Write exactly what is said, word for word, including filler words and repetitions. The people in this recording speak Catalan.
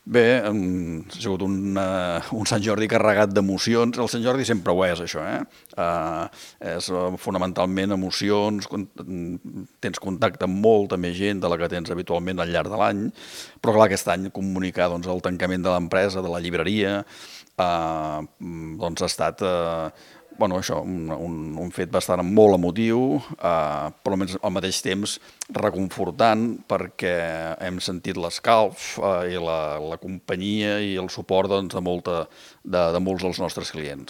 Bé, ha sigut un, uh, un Sant Jordi carregat d'emocions. El Sant Jordi sempre ho és, això, eh? Uh, és uh, fonamentalment emocions, con tens contacte amb molta més gent de la que tens habitualment al llarg de l'any, però clar, aquest any comunicar doncs, el tancament de l'empresa, de la llibreria, uh, doncs ha estat uh, bueno, això, un, un, un fet bastant molt emotiu, eh, però al mateix temps reconfortant perquè hem sentit l'escalf eh, i la, la companyia i el suport doncs, de, molta, de, de molts dels nostres clients.